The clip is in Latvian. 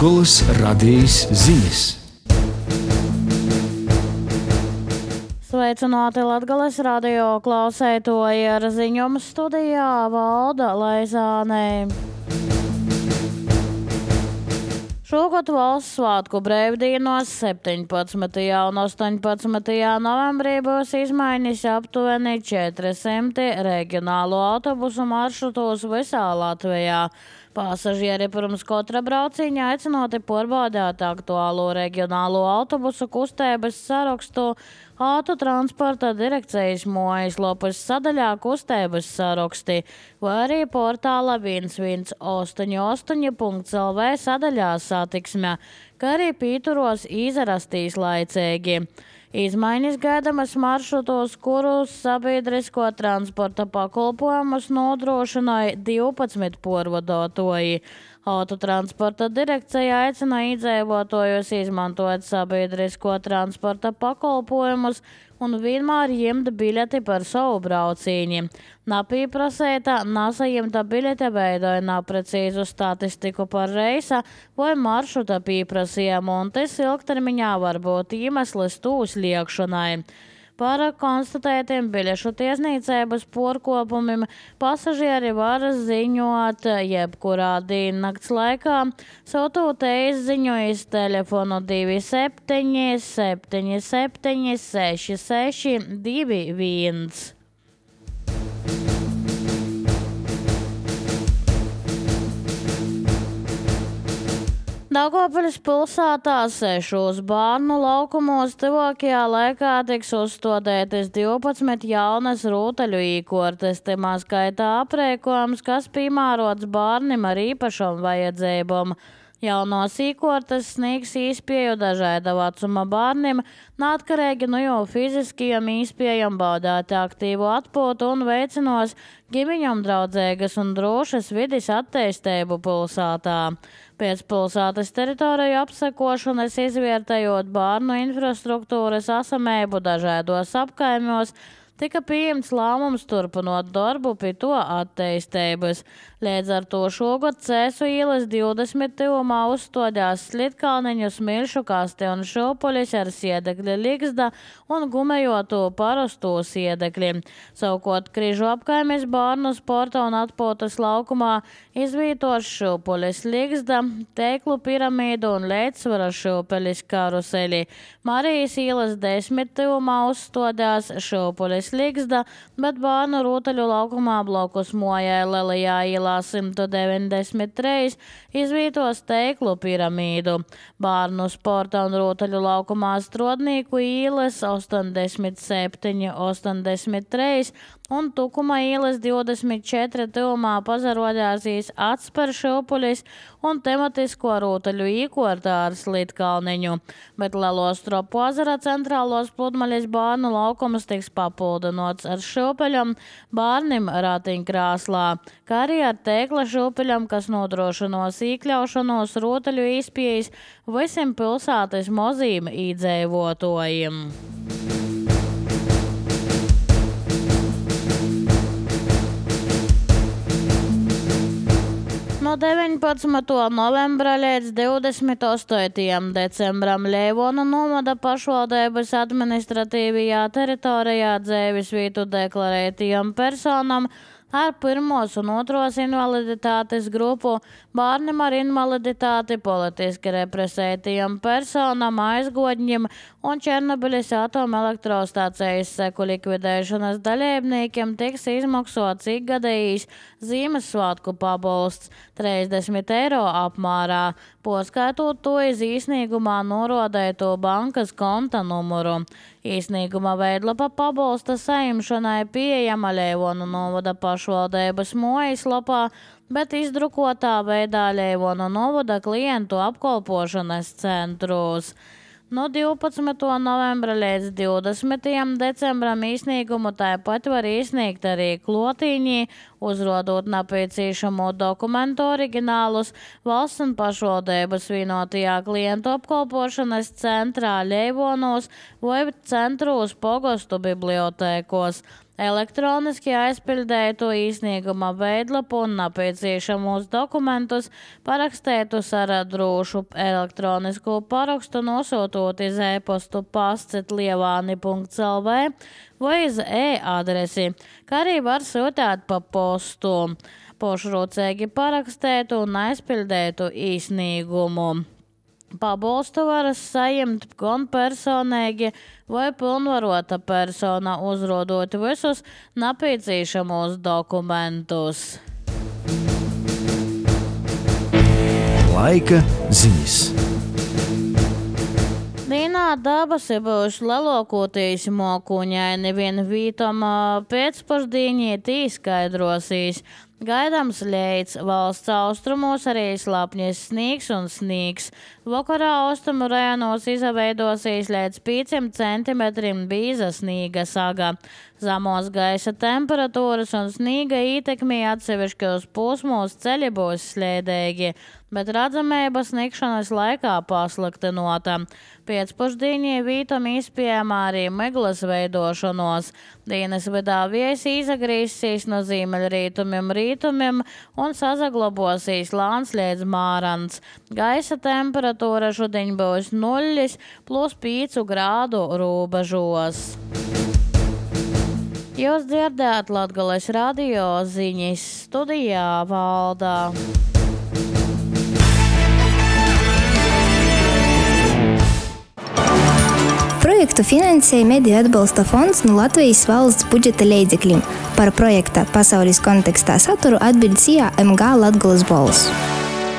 Latgoles radijas ziņas. Sveicināti Latgoles radio klausētoji, ar ziņojumu studijā Valda Laizāne. Šogad valsts svētku brīvdienos 17. un 18. novembrī būs izmaiņas aptuveni 400 reģionālo autobusu maršrutos visā Latvijā. Pasažieri pirms katra brauciņa aicinoti pārbaudīt aktuālo reģionālo autobusu kustības sarakstu Autotransporta direkcijas mājaslapas sadaļā kustības saraksti vai arī portāla 188.lv sadaļā satiksme, kā arī pīturos izrastīs laicīgi. Izmaiņas gaidamas maršrutos, kurus sabiedrisko transporta pakalpojumus nodrošināja 12 pārvadotāji. Autotransporta direkcija aicina iedzīvotājus izmantot sabiedrisko transporta pakalpojumus un vienmēr ņemt biļeti par savu braucieni. Napīprasēta, nesaņemta biļete veidoja neprecīzu statistiku par reisa vai maršruta pieprasījumu, un tas ilgtermiņā var būt iemesls tū sliekšanai. Par konstatētiem biļešu tiesniecības pārkāpumiem pasažieri var ziņot jebkurā diennakts laikā, sūtot e-ziņojumus telefonu 27 77 66 21. Daugavpils pilsētā 6 bērnu laukumos tuvākajā laikā tiks uzstādītas 12 jaunas rūtaļu īkortes, timā skaitā aprēkojums, kas piemērots bērniem ar īpašām vajadzībām. Jaunos īkortes sniegs īspēju dažāda vecuma bērniem, neatkarīgi no jau fiziskajiem īspējām baudāt aktīvu atpūtu un veicinās ģimeņam draudzīgas un drošas vides attīstību pilsētā. Pēc pilsētas teritoriju apsekošanas izvērtējot bērnu infrastruktūras esamību dažādos apkaimos, tika pieņemts lēmums turpinot darbu pie to attīstības. Līdz ar to šogad Cēsu ielas 20 tuvumā uzstādījās Slitkalniņu, Smilšu kasti un Šūpuļis ar siedekļa ligzda un gumejotu parasto siedekļi. Savukārt Križu apkaimes bērnu sporta un atpūtas laukumā izvītos Šūpuļis ligzda, Teiklu piramīdu un Leidsvara Šūpuļis karuseli. Marijas ielas 10 tuvumā uzstādījās Šūpuļis ligzda, bet bērnu rūtaļu laukumā blokus mojai Lielajā ielā 193 izvītos Teiklu piramīdu. Bērnu sporta un rūtaļu laukumā Strodnīku ielas 87, 83 un Tukuma ielas 24 tuvumā pazarodāsīs Atspar Šūpuļis un tematisko rūtaļu īkortā ar Slitkalniņu, bet Lelostropu ezera centrālos pludmaļas bērnu laukums tiks papildinots ar šūpeļam bērnim ratiņkrāslā, kā arī ar Teikla šūpeļam, kas nodrošinos iekļaušanos rūtaļu īspējas visiem pilsētas mozīm iedzīvotājiem. No 19. novembra līdz 28. decembram Leivona novada pašvaldības administratīvajā teritorijā dzīves vietu deklarētajām personām ar pirmos un otros invaliditātes grupu, bērniem ar invaliditāti, politiski represētajām personām, aizgodņiem un Černobiļas atomelektrostācijas seku likvidēšanas dalībniekiem tiks izmaksots ikgadējs Ziemassvētku pabalsts 30 eiro apmērā, poskaitot to iz īsnīgumā norodēto bankas konta numuru. Īsnīguma veidlapa pabalsta saimšanai pieejama Leivonu novada pašvaldības mājaslapā, bet izdrukotā veidā Leivonu novada klientu apkalpošanas centros. No 12. novembra līdz 20. decembram īsnīgumu tāpat var izsniegt arī klotīņi, uzrodot nepieciešamo dokumentu oriģinālus valsts un pašvaldības vienotajā klientu apkalpošanas centrā Leivonos vai centros pogostu bibliotēkos. elektroniski aizpildētu īsnieguma veidlapu un nepieciešamos dokumentus, parakstētus ar drošu elektronisku parakstu, nosūtot iz e-postu pasts@lievani.lv vai iz e-adresi, kā arī var sūtīt pa postu. Pošrūcīgi parakstētu un aizpildētu īsnīgumu. Pabalstu var saņemt gan personīgi vai pilnvarota persona, uzrodot visus nepieciešamos dokumentus. Laika ziņas. Dīnā dabasi būs lelokoties mokuņaini, vien vītam pēcpusdīņietī skaidrosīs. Gaidāms leids, valsts austrumos arī slapņas sniegs un sniegs. Vakarā austrumu rajonos izveidosies līdz 5 centimetriem bīza sniega saga. Zemos gaisa temperatūras un sniega ietekmē atsevišķos posmos ceļi būs slēdīgi, bet redzamība sniegšanas laikā pasliktinota. Pēcpusdienī vītam izpējama arī miglas veidošanos. Dienas vidā vējs izagrīsīs no ziemeļrietumiem rītumiem un sazaglabosīs lāns līdz mārants. Gaisa temperatūra šodien būs 0 plus 5 grādu robežos. Jūs dzirdēt Latgales radio ziņas, studijā Valdā. Projektu finansēja Mediju atbalsta fonds no Latvijas valsts budžeta līdzekļiem. Par projekta pasaules kontekstā saturu atbild CIA MG Latgales balss.